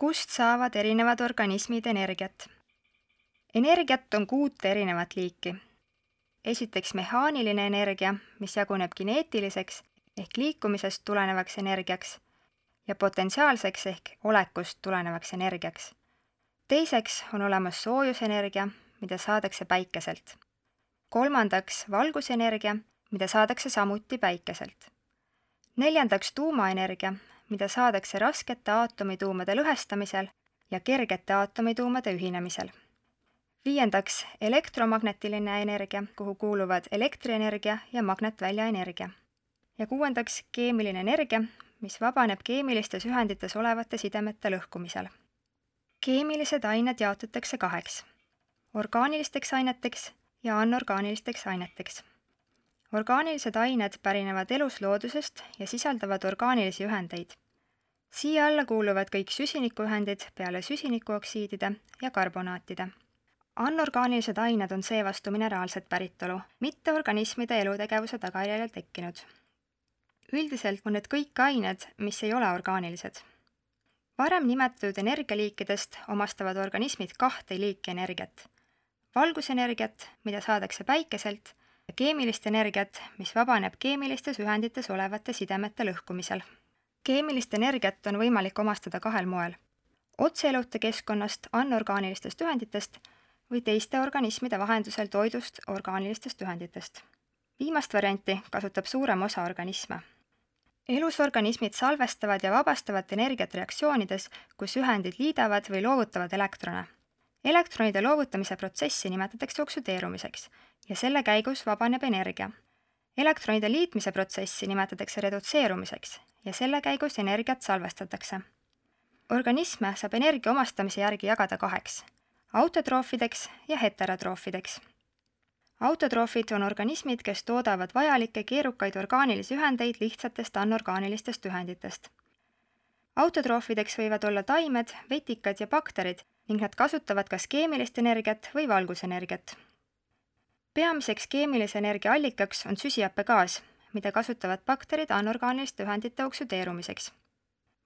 Kust saavad erinevad organismid energiat? Energiat on 6 erinevat liiki. Esiteks mehaaniline energia, mis jaguneb kineetiliseks ehk liikumisest tulenevaks energiaks ja potentsiaalseks ehk olekust tulenevaks energiaks. Teiseks on olemas soojusenergia, mida saadakse päikeselt. Kolmandaks valgusenergia, mida saadakse samuti päikeselt. Neljandaks tuumaenergia, mida saadakse raskete aatomituumade lõhestamisel ja kergete aatomituumade ühinemisel. Viiendaks elektromagnetiline energia, kuhu kuuluvad elektrienergia ja magnetväljaenergia. Ja kuuendaks keemiline energia, mis vabaneb keemilistes ühendites olevate sidemete lõhkumisel. Keemilised ained jaotatakse 2: orgaanilisteks aineteks ja anorgaanilisteks aineteks. Orgaanilised ained pärinevad elusloodusest ja sisaldavad orgaanilisi ühendeid. Siia alla kuuluvad kõik süsinikuühendid peale süsinikuoksiidide ja karbonaatide. Anorgaanilised ained on seevastu mineraalset päritolu, mitte organismide elutegevuse tagajärjel tekkinud. Üldiselt on need kõik ained, mis ei ole orgaanilised. Varem nimetatud energialiikidest omastavad organismid 2 liiki energiat. Valgusenergiat, mida saadakse päikeselt, ja keemilist energiat, mis vabaneb keemilistes ühendites olevate sidemete lõhkumisel. Keemilist energiat on võimalik omastada 2 moel: otseelute keskkonnast anorgaanilistest ühenditest või teiste organismide vahendusel toidust orgaanilistest ühenditest. Viimast varianti kasutab suurem osa organisme. Elus organismid salvestavad ja vabastavad energiat reaktsioonides, kus ühendid liidavad või loovutavad elektrone. Elektronide loovutamise protsessi nimetatakse oksüdeerumiseks ja selle käigus vabaneb energia. Elektronide liitmise protsessi nimetatakse redutseerumiseks ja selle käigus energiat salvestatakse. Organisme saab energia omastamise järgi jagada 2: autotroofideks ja heterotroofideks. Autotroofid on organismid, kes toodavad vajalikke keerukaid orgaanilisi ühendeid lihtsatest anorgaanilistest ühenditest. Autotroofideks võivad olla taimed, vetikad ja bakterid ning nad kasutavad kas keemilist energiat või valgusenergiat. Peamiseks keemilise energia allikaks on süsihappegaas, mida kasutavad bakterid anorgaaniliste ühendite oksüdeerumiseks.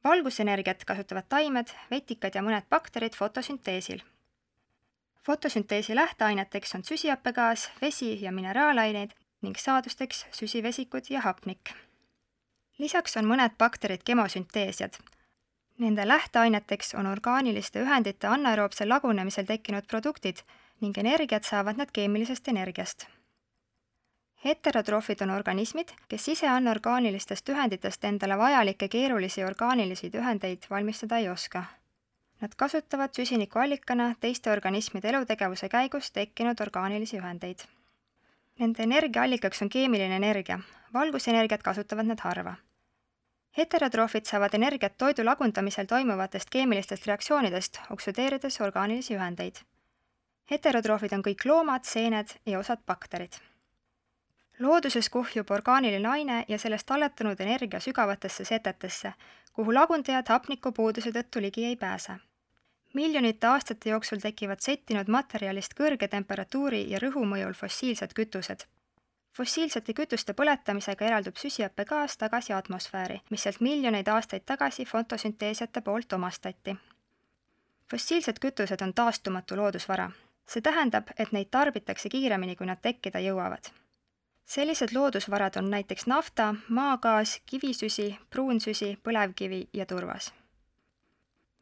Valgusenergiat kasutavad taimed, vetikad ja mõned bakterid fotosünteesil. Fotosünteesi lähteaineteks on süsihappegaas, vesi ja mineraalaineid ning saadusteks süsivesikud ja hapnik. Lisaks on mõned bakterid kemosünteesiad. Nende lähteaineteks on orgaaniliste ühendite anaeroobsel lagunemisel tekkinud produktid ning energiat saavad nad keemilisest energiast. Heterotroofid on organismid, kes ise anorgaanilistest ühenditest endale vajalikke keerulisi orgaanilisi ühendeid valmistada ei oska. Nad kasutavad süsinikuallikana teiste organismide elutegevuse käigus tekkinud orgaanilisi ühendeid. Nende energiaallikaks on keemiline energia, valgusenergiat kasutavad nad harva. Heterotroofid saavad energiat toidu lagundamisel toimuvatest keemilistest reaktsioonidest, oksüdeerides orgaanilisi ühendeid. Heterotroofid on kõik loomad, seened ja osad bakterid. Looduses kuhjub orgaaniline aine ja sellest talletunud energia sügavatesse setetesse, kuhu lagundajad hapnikupuuduse tõttu ligi ei pääse. Miljonite aastate jooksul tekivad settinud materjalist kõrge temperatuuri ja rõhu mõjul fossiilsed kütused. Fossiilsete kütuste põletamisega eraldub süsihappegaas tagasi atmosfääri, mis sealt miljoneid aastaid tagasi fotosünteesiate poolt omastati. Fossiilsed kütused on taastumatu loodusvara. See tähendab, et neid tarbitakse kiiremini, kui nad tekkida jõuavad. Sellised loodusvarad on näiteks nafta, maagaas, kivisüsi, pruunsüsi, põlevkivi ja turvas.